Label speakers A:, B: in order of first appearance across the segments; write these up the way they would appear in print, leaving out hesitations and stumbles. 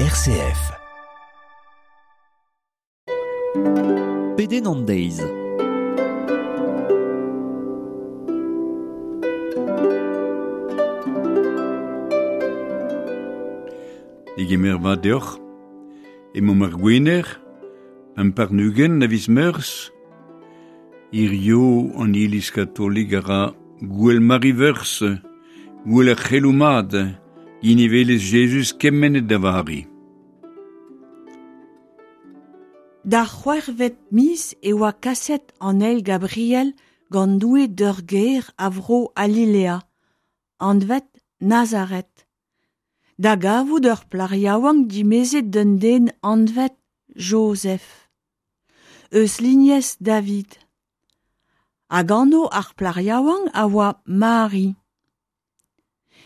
A: RCF.
B: Pedenn an deiz.
C: Digemer vat deoc'h. Emaomp ar Gwener, 25 a viz Meurzh. Hirio an Iliz katolik a ra Gouel Mari-Veurzh, gouel ar c'heloù mat, ginivelezh Jezuz kemennet da Vari.
D: D'ar c'hwec'hvet miz e oa kaset an ael Gabriel gant Doue d'ur gêr a vro Galilea, anvet Nazaret, da gavout ur plac'h yaouank dimezet d'un den anvet Jozef, eus lignez David. Hag anv ar plac'h yaouank a oa Mari.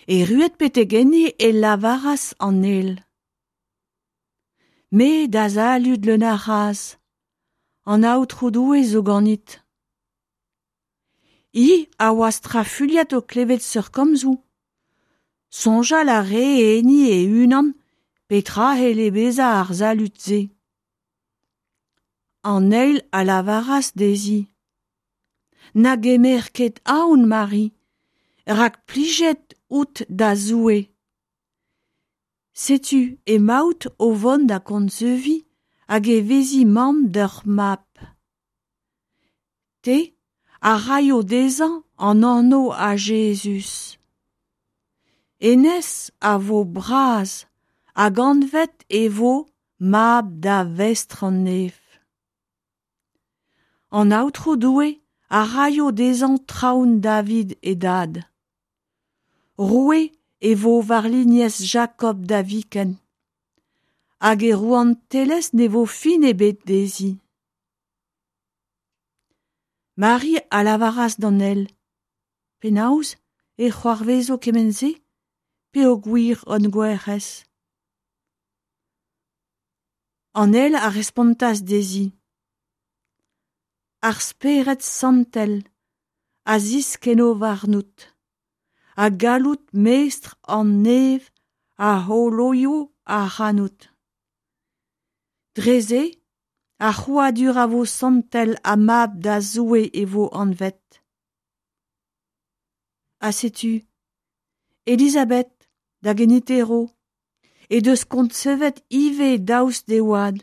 D: Erruet betek enni e lavaras an ael. Me da salud leun a c'hras, an Aotrou Doue zo ganit. Hi a oa strafuilhet o klevet seurt komzoù. Soñjal a rae enni e-unan petra c'helle bezañ ar salud-se. An ael a lavaras dezhi. Na gemer ket aon, Mari, rak plijet out da Zoue. Setu emaout o vont da koñseviñ hag e vezi mamm d'ur mab. Te a raio dezhañ an anv a Jezuz. Hennezh a vo bras hag anvet e vo mab da Vestr an Neñv. An Aotrou Doue a raio dezhañ traoñ David e dad. Roue e vo war lignez Jakob da viken, hag e rouantelezh ne vo fin ebet dezhi. Mari a lavaras d'an ael, Penaos e c'hoarvezo kement-se peogwir on gwerc'hez ? An ael a respontas dezhi, Ar Spered Santel a ziskenno warnout, ha galloud mestr an Neñv a c'holoio ac'hanout. Dre-se, ar c'hrouadur a vo santel ha mab da Zoue e vo anvet. Ha setu, Elizabeth, da geniterv, he deus koñsevet ivez daoust d'he oad.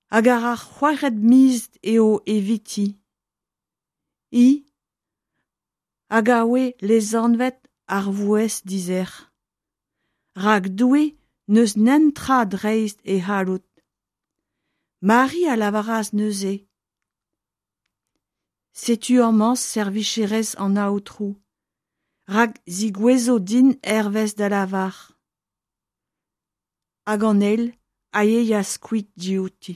D: Hag ar c'hwec'hvet miz eo eviti. Hi hag a oa lesanvet ar vaouez dizec'h. Rak Doue n'eus netra dreist e c'halloud. Mari a lavaras neuze Setu amañ servijerez an Aotrou, rak zigouezo din hervez da lavar. Hag an ael a yeas kuit diouti.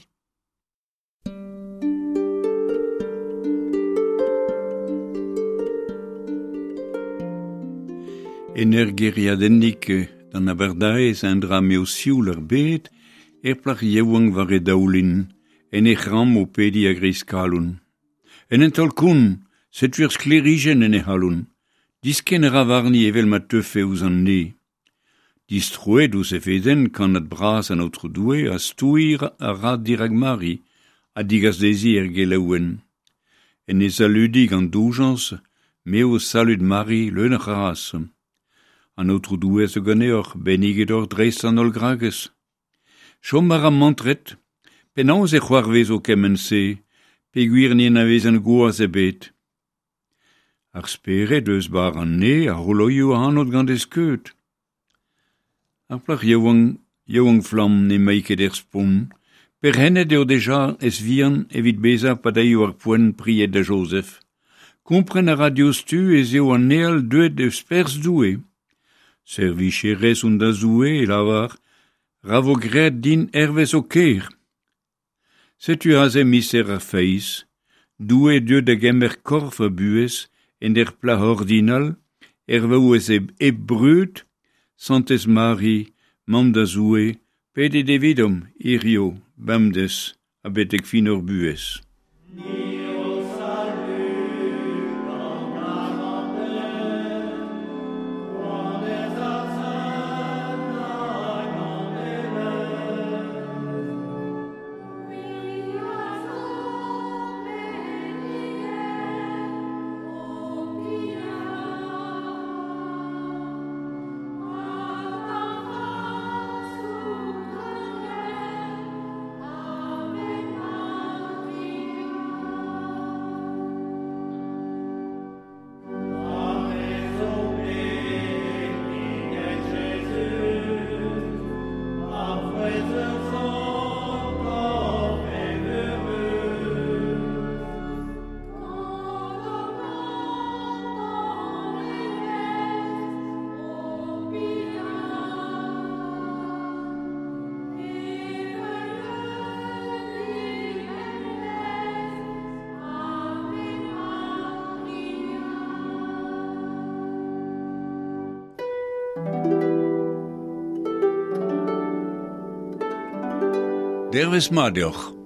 C: En ur gêriadennig d'an abardaez endra m'eo sioul ar bed, er plac'h yaouank war he daoulin, en he c'hramm o pediñ a-greiz kalon. En un taol-kont, setu ur sklêrijenn en he c'halon. Diskenn a ra warni evel ma teufe ouzh an neñv. Distroet ouzh he fedenn, kannad bras an Aotrou Doue a stouir a ra dirak Mari ha degas dezhi er gelaouenn. En he saludiñ gant doujañs, me ho salud Mari leun a c'hras. An Aotrou Doue a zo ganeoc'h, benniget oc'h dreist an holl gragez. Chom a ra mantret. Penaos e c'hoarvezo kement-se, peogwir ne anavezan gwaz ebet ? Ar spered eus barr an neñv a c'holoio ac'hanout gant e skeud. Ar plac'h yaouank, yaouank-flamm n'emañ ket er spont. Perc'hennet eo dija ez-vihan evit bezañ pa daio ar poent pried da Jozef. Kompren a ra diouzhtu ez eo an ael deuet eus perzh Doue. Servijerez on da Zoue, e lavar, ra vo graet din hervez ho ker. Setu aze mister ar feiz, Doue deuet da gemer korf ha buhez en ur plac'h ordinal, er vaouez hep brud, Santez Mari, mamm da Zoue, pedet evidomp hiziv, bemdez ha betek fin hor buhez. Dervez mat deoc'h.